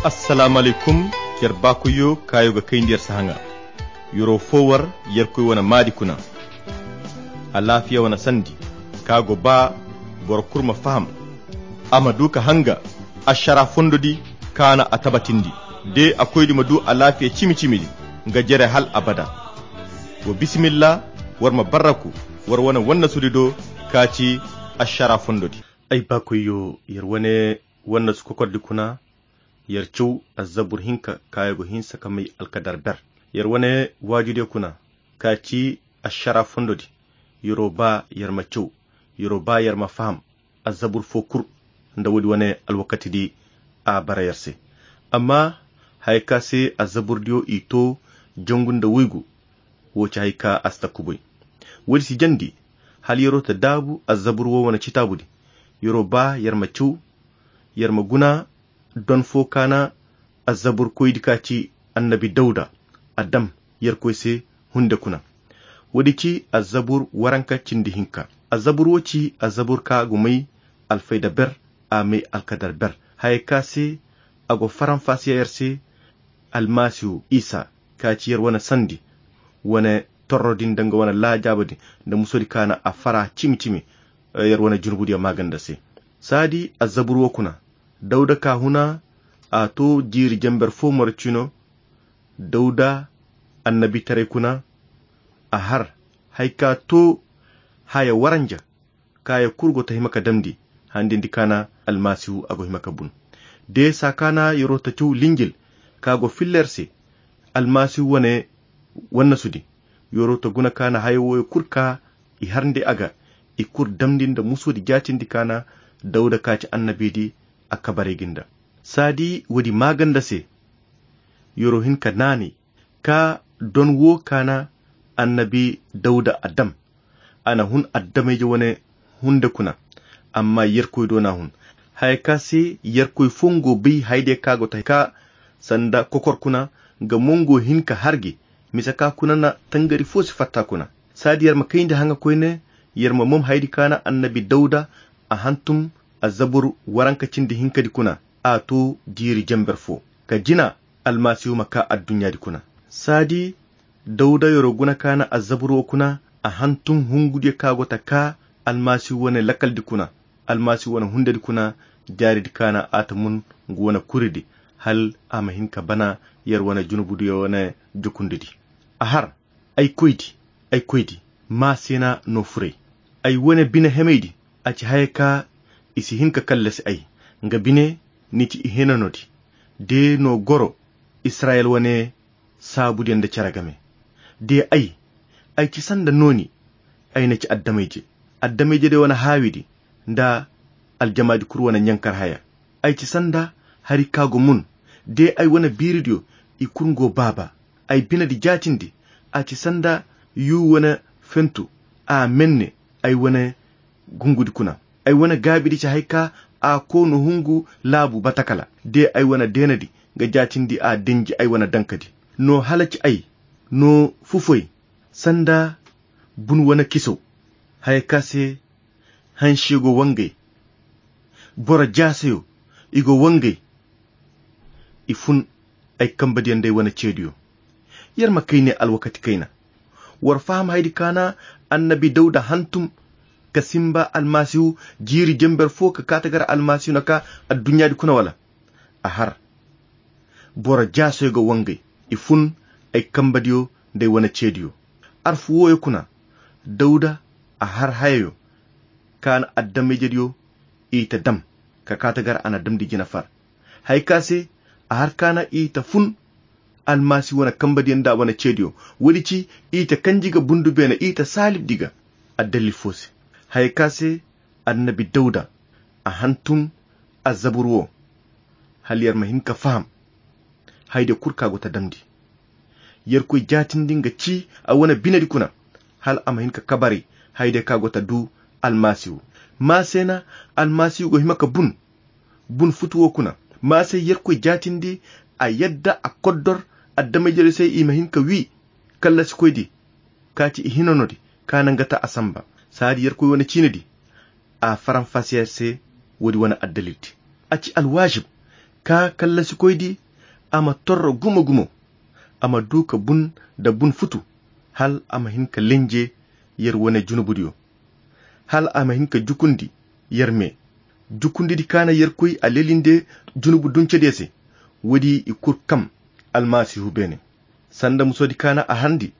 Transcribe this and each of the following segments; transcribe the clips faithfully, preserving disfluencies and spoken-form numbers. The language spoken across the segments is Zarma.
Assalaamu alaykum. Yer baakoyyo kaayo ga kayndi yer sahaŋa. Yer'o fo war yerkoy wane maadi kuna. Alaafiya wane sandi ka go ba boro kulu ma faham, a ma du ka hanga ašara fondodi kaana a tabatindi. De a koydi ma du alaafiya cimi-cimidi nga jere hal abada. Wa bisimilla, war ma barraku war wane wannasudi do ka ci ašara fondodi. Ay baakoyyo, yer wane wannasu kokordi kuna, yer caw azzabur hinka kaayo go hinsa ka may alkadar ber. Yer wane waajudiyo kuna ka ci ašara fondodi. Yer'o ba yer ma caw, yer'o ba yer ma faham azzabur fo kul nda woodi wane alwakatidi a bara yer se. Amma haya ka se azzaburdiyo i to jangu nda woygu, wo ci hay ka a si ta kubay. Woodi si jandi hala yer'o ta daabu azzabur wo wane citaabudi. Yer'o ba yer ma caw, yer ma guna don fo kaana azzaburkoydi ka ci annabi dawda a dam yerkoy se hunde kuna. Woodi ci azzabur waranka cindi hinka. Azzabur wo ci azzabur ka go may alfayda ber, a may alkadar ber. Haya ka se a go faranfasiya yer se almasihu isa ka ci yer wane sandi wane torro din da nga wane laajaaba din da musodi kaana a fara cimi-cimi yer wane junubudiyo maaganda se. Saadi azzabur wo kuna dawda ka huna a to jiiri jamber fo moro cino. Dawda annabitaray kuna a har hay ka to haya waranja kaayo kul go ta hima ka damndi handindi kaana almasihu a go hima ka bun. De saa kaana yer'o ta caw linjil ka go filla yer se almasihu wane wannasudi. Yer'o ta guna kaana haya wooyo kul ka i harndi a ga i kul damndi nda musudi jaatindi kaana dawda ka ci annabidi a kabaray gi nda. Saadi woodi maaganda se yer'o hin ka naanay ka don wo kaana annabi dawda a dam. A na hun addamayje wane hunde kuna amma yerkoy do n'a hun. Haya ka se yerkoy fo nga go bay hayadiyo ka go ta ka sanda kokor kuna nga mo nga go hin ka har gi. Mise ka kuna na tangari fo si fatta kuna. Saadi yer ma kayndi haŋa koyne yer ma mom hayadi kaana annabi dawda a hantum azzabur waranka cindi hinkadi kuna a to jiiri jamber fo ka jina almasihu ma ka adduɲɲaadi kuna. Saadi dawda yer'o guna kaana azzabur wo kuna a hantum hungudiyo ka go ta ka almasihu wane lakaldi kuna almasihu wane hundedi kuna jaaridi kaana a ta mun nga wane kuridi hal a ma hin ka bana yer wane junubudiyo wane jukundidi. A har ay koydi, ay koydi, maa se na no furay ay wane bine hemaydi. A ci haya ka i si hin ka kallasi ay nga bine ni ci i hinanodi. De no goro israyel wane saabudiyo nda cere game. De ay ay ci sanda nooni ay na ci addamayje addamayjediyo wane haawidi nda aljamaadi kul wane ɲankar haya. Ay ci sanda hari ka go mun de ay wane biiridiyo i kul nga go baaba. Ay binedi jaatindi a ci sanda yu wane fentu a menne ay wane gungudi kuna. Ay wane gaabidi ci hay ka a koono hungu laabu batakala de ay wane deenadi nga jaatindi a denji ay wane dankadi. No hala ci ay no fufoy sanda bun wane kiso haya ka se hansiyo go wangay boro jaasayo i go wangay. I fun ay kambadiyo nda ay wane ceediyo. Yer ma kay ne alwakati kayna war faham haydi kaana annabi dawda hantum ka simba almasihu jiiri jember fo ka kaata gar almasihu na ka adduɲɲaadi kuna wala a har boro jaasoy ga wangay. I fun ay kambadiyo nda ay wane ceediyo. Arfu wooyo kuna dawda a har hayayo kaana addamayjediyo i ta dam ka kaata gar a na damndi jina far. Hay ka se a har kaana i ta fun almasi wane kambadiyo nda wane ceediyo. Woodi ci i ta kanji ga bundu beene i ta saalibdi ga addalil fo se. Hay ka se annabi dawda a hantum azzabur wo hala yer ma hin ka faham haydiyo kul ka go ta damndi. Yerkoy jaatindi nga ci a wane binedi kuna hala a ma hin ka kabaray haydiyo ka go ta du almasihu. Maa se na almasihu go hima ka bun bun futu wo kuna. Maa se yerkoy jaatindi a yadda a koddor addamayjediyo se i ma hin ka wi kallasikoydi ka ci i hinanodi ka nangata a samba. Saadi yerkoy wane ciinedi a faranfasiya se woodi wane addalildi. A ci alwaazib Ka kallasikoydi a ma torro gumo-gumo, a ma du ka bun da bun futu, hal a ma hin ka lenje yer wane junubudiyo, hal a ma hin ka jukundi yer me. Jukundidi ka na Yerkoy a lelinde junubu duncediyo se, woodi i kul kam Almasihu beene. Sanda musodi ka na a harndi,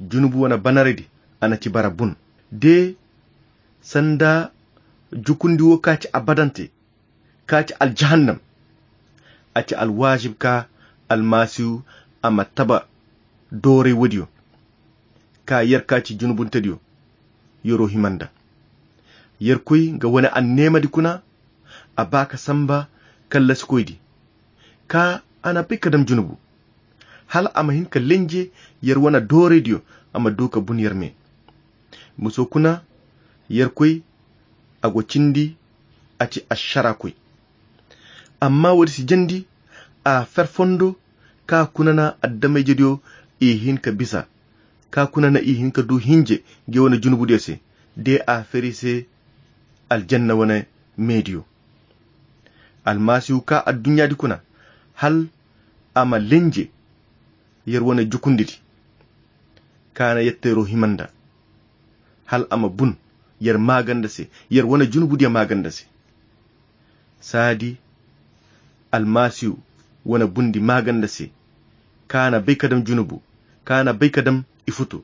junubu wane banaredi a na ci bara bun. De sanda jukundi wo ka ci abadante, ka ci aljahannam, a ci alwaajib ka Almasihu a ma taba dooray woodiyo, ka yer ka ci junubuntediyo yero hima nda. Yerkoy nga wane anneemadi kuna, a ba ka samba kallasikoydi, ka a na bay ka dam junubu, hal a ma hin ka lenje yer wane dooraydiyo, a ma du ka bun yer me. Muso kuna, Yerkoy a go cindi, a ci ašarakoy. Amma woodi si jandi, a fer fondo, ka kuna na adamayjediyo i hin ka bisa, ka kuna na i hin ka du hinje nge wane junubudiyo se, de a fer i se aljanna wane meediyo. Almasihu ka adduɲɲaadi kuna, hal a ma lenje yer wane jukundidi, ka na yetteero hima nda, hal a ma bun yer maaganda se, yer wane junubudiyo maaganda se. Saadi Almasihu wane bundi maaganda se, ka na bay ka dam junubu, ka na bay ka dam i futu.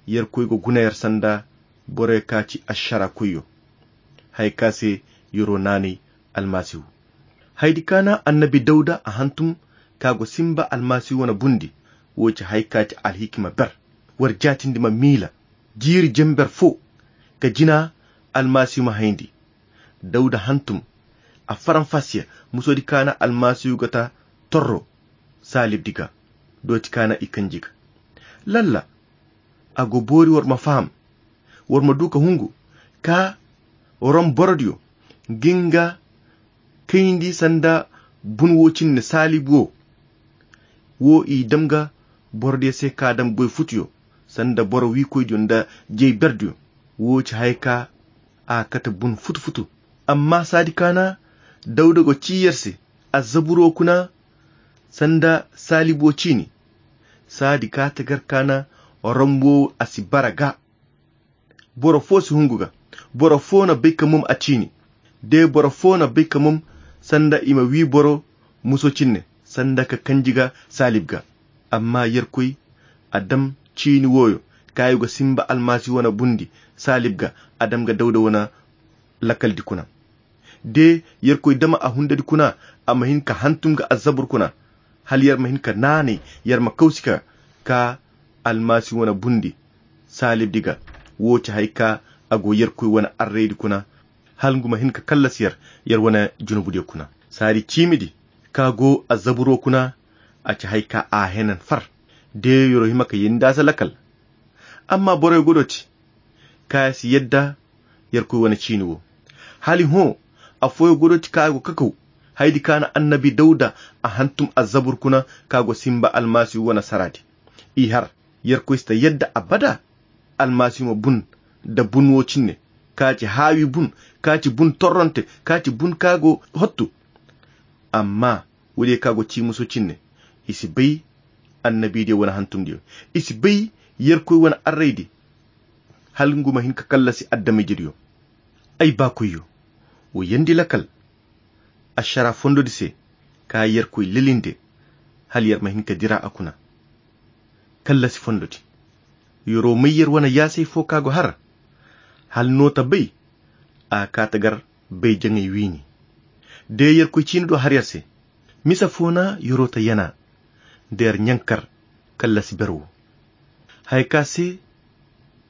Yerkoy go guna yer sanda boroyo ka ci ašarakoyyo, haya ka se yero naanay Almasihu. Hayadi ka na annabi Dawda a hantum ka go simba Almasihu wane bundi, wo ci haya ka ci alhikima ber. War jaatindi ma miila jiiri jember fo ka jina Almasihu ma hayndi. Dawda hantum a faranfasiya musodi ka na Almasihu ga ta torro saalibdi ga, dooti ka na i kanji ga. Lalla, a go boori war ma faham, war ma du ka hungu ka Rom borodiyo ga nga kayndi sanda bun wo cine saalib wo. Wo i dam ga borodiyo se ka dam goy futuyo, sanda boro wiikoydiyo nda jey berdiyo. Wo ci haya ka a kate bun futu-futu. Amma saadi ka na Dawda go ci yer se, azaburo kuna sanda saalib wo ciini. Saadi ka tagar ka na Rom wo a si bara ga. Boro fo si hungu ga. Boro fo na bay ka mum a ciini. De boro fo na bay ka mum sanda i ma wi boro muso cine, sanda ka kanji ga saalib ga. Amma Yerkoy a dam ciini woyo ka i go simba Almasihu wane bundi saalib ga, a dam ga Dawda wane lakaldi kuna. De Yerkoy dama a hundadi kuna, a ma hin ka hantum ga azabur kuna, hal yer ma hin ka naanay, yer ma kawsi ka ka Almasihu wane bundi saalibdi ga. Wo ci haya ka a go Yerkoy wane arraydi kuna, hal ngu ma hin ka kallasi yer, yer wane junubudiyo kuna. Saadi ciimidi ka go azaburo kuna, a ci haya ka a henan far. De yero hima ka yenda se lakal. Amma boroyo go dooti ka si yadda Yerkoy wane ciini wo. Hali hõ, afooyo go dooti ka go kakaw, hayadi ka na annabi Dawda a hantum azabur kuna ka go simba Almasihu wane saraadi. I har, Yerkoy si ta yadda abada Almasihu ma bun da bun wo cine, ka ci haawi bun, ka ci bun torronte, ka ci bun ka go hottu. Amma woodiyo ka go ciimuso cine, i si bay annabidiyo wane hantumdiyo. I si bay Yerkoy wane arraydi, hal ngu ma hin ka kallasi adamayjediyo. Ay baakoyyo, wo yandi lakal ašara fondodi se, ka Yerkoy lelinde, hal yer ma hin ka dira a kuna. Kallasi fondodi. Yero may yer wane yaasay fo ka go har, hal no ta bay, a ka ta gar bay jaŋay wiini. De Yerkoy ciini do har yer se. Misa fo na yero ta yana, da yer ɲankar kallasi ber wo. Haya ka se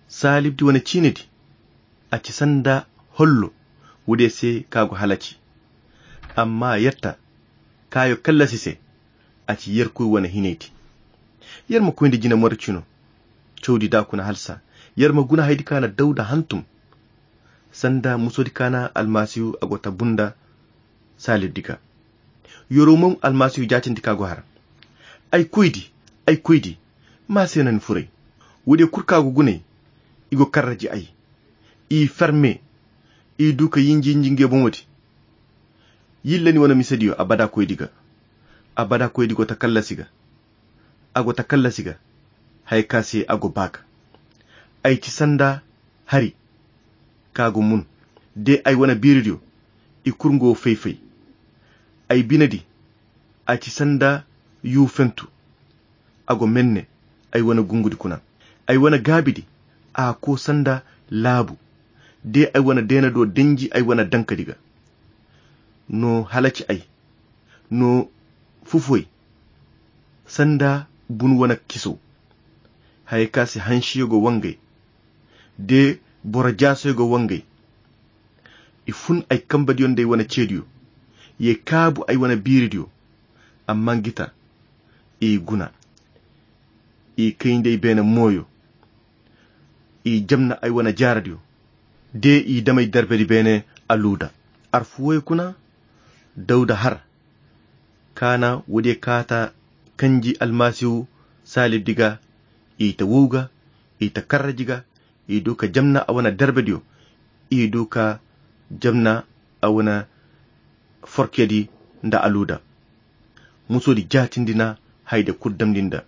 saalibdi wane ciinidi, a ci sanda hollo woodiyo se ka go halaci. Amma yetta kayo kallasi se, a ci Yerkoy wane hinaydi. Yer ma koy nda jina moricino cawdi da kuna halsa. Yer ma guna hayadi ka na Dawda hantum, sanda musodi ka na Almasihu a go ta bunda saalibdi ga. Yero mo Almasihu jaatindi ka go har. Ay koydi, ay koydi, ma se na ni furay. Woodiyo kul ka go gunay, i go karraji ay. I ferme, i du ka yinji yinji nge boŋo di. Yille ni wane misediyo abada koydi ga. Abada koydi go takallasi ga. A go takallasi ga. Haya ka se a go ba ga. Ay ci sanda hari ka go mun. De ay wane biiridiyo i kurngo fay-fay. Ay binedi a ci sanda yu fentu. A go menne ay wane gungudi kuna. Ay wane gaabidi a ko sanda laabu. De ay wane deena do denji ay wane dankadi ga. No halaci ay no fufoy sanda bunu wane kiso. Haya ka se hansiyo go wangay de boro jaasoyo go wangay. I fun ay kambadiyo nda ay wane ceediyo. Ye kaabu ay wane biiridiyo. Amma ngita i guna. I kay nda ay beene mooyo. I jamna ay wane jaaradiyo. De i damay darbedi beene aluuda. Arfuwoyo kuna dawda har kaana woodiyo kaata kanji almasihu saalibdi ga. I ta wow ga i ta karraji ga. I du ka jamna a wane darbediyo. I du ka jamna a wane forkedi nda aluuda. Musodi jaatindi na hayda kul damndi nda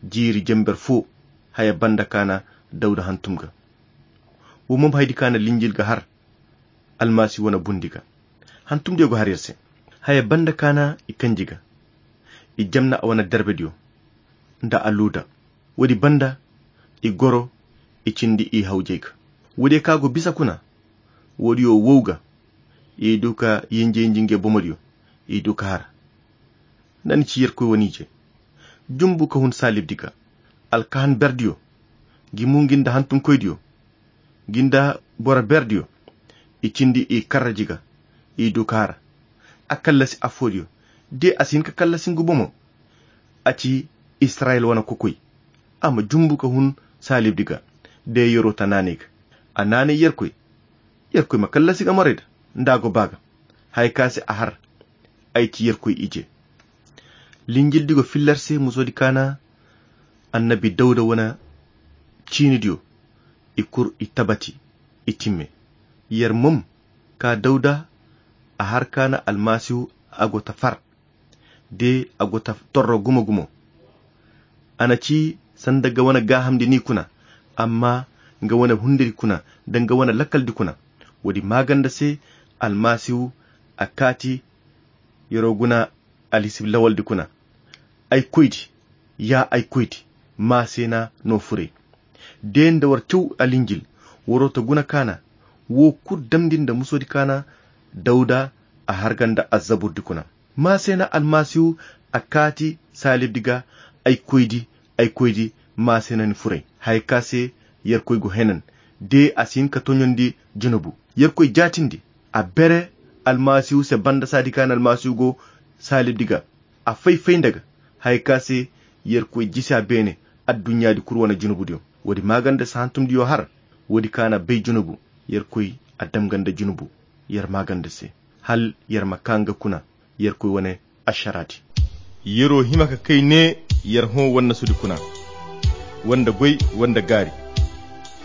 jiiri jember fo. Haya banda kaana dawda hantum ga. Wo mom haydi kaana linjil ga har almasi wane bundi ga. Hantumdiyo go har yer se. Haya banda kaana i kanji ga i jamna a wane darbediyo nda aluuda. Woodi banda i goro i cindi i hawjey ga. Woodiyo ka go bisa kuna woodiyo wow ga. I du ka yinje yinje nge bomodiyo i du ka har. Nda ni ci yerkoy wane ije jumbu ka hun saalibdi ga. Alkahan berdiyo gi mu ngi nda hantumkoydiyo gi nda boro berdiyo. I cindi i karraji ga i du ka har. A kallasi affoodiyo de a si hin ka kallasi ngu bomo. A ci israyil wane kokoy a ma jumbu ka hun saalibdi ga. De yeroo ta naanay ga a naanay yerkoy. Yerkoy ma kallasi ga morayda nda a go ba ga. Haya ka se a har ay ci yerkoy ije. Linjildi go filla yer se musoodi kaana annabi dawda wane ciinidiyo. I kul i tabati i timme. Yer mom ka dawda a har kaana almasihu a go ta far de a go ta torro gumo-gumo. A na ci sanda nga wane gaahamndi ni kuna amma nga wane hundiri kuna nda nga wane lakkaldi kuna. Woodi maaganda se almasihu a kaati yeroo guna alhisib lawaldi kuna. Ay koydi ya ay koydi. Maaseena no furay de nda war caw alinjil. Waroo ta guna kaana woo kul damndi nda musoodi kaana dawda a har ga nda azzaburdi kuna. Maaseena almasihu a kaati saalibdi ga. Ay koydi ay koydi. Maaseena ni furay haya ka se yerkoy go henan de a si hin ka toɲondi junubu. Yerkoy jaatindi a bere almasihu se banda saadi kaana almasihu go saalibdi ga. A fay-fay nda ga haya ka se yerkoy jisi a beene. Adduɲɲaadi kul wane junubudiyo woodi maaganda se hantumdiyo har. Woodi kaana bay junubu yerkoy a dam ga nda junubu yer maaganda se hal yer ma kaa nga kuna yerkoy wane ašaraadi. Yeroo hima ka kay ne yer hõ wannasudi kuna wanda goy wanda gaari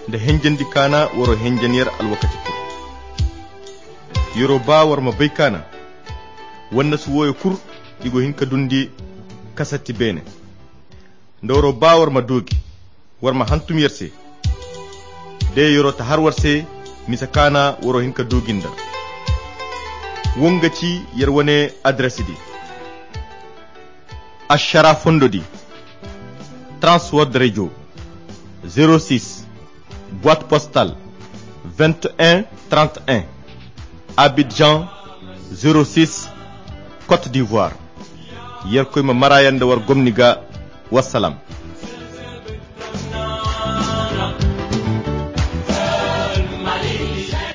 nda henjendi kaana waroo henjen yer alwakati kul. Yeroo baa war ma bay kaana wannasu wooyo kul i go hin ka dundi kasatti beene. Nda waroo baa war ma duu gi war ma hantum yer se. De yeroo ta har war se mise kaana waroo hin ka duu gi nda woo nga ci yer wane adirasidi. Ašaraa fondodi transword rejo zero six boite postal vingt et un trente et un, Abidjan zero six, Côte d'Ivoire. Yerkoy ma maraaya nda war gomni ga. Wassalam.